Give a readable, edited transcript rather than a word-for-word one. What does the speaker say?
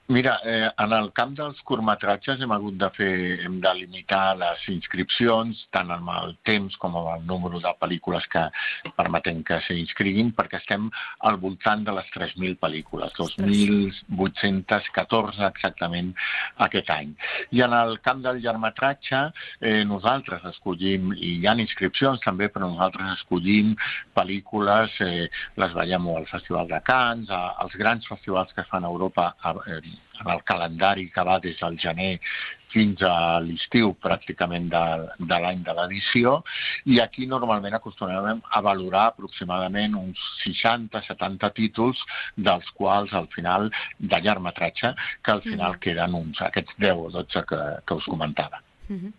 Mira, en el camp dels curtmetratges hem de limitar les inscripcions tant amb el temps com amb el número de pel·lícules que permetem que s'inscriguin, perquè estem al voltant de les 3.000 pel·lícules, 2.814 exactament aquest any. I en el camp del llargmetratge nosaltres escollim, i hi ha inscripcions també, però nosaltres escollim pel·lícules, les veiem al Festival de Cannes, als grans festivals que es fan a Europa, en el calendari que va des del gener fins a l'estiu pràcticament de l'any de l'edició, i aquí normalment acostumem a valorar aproximadament uns 60-70 títols, dels quals al final, de llargmetratge, que al final queden aquests 10 o 12 que us comentava.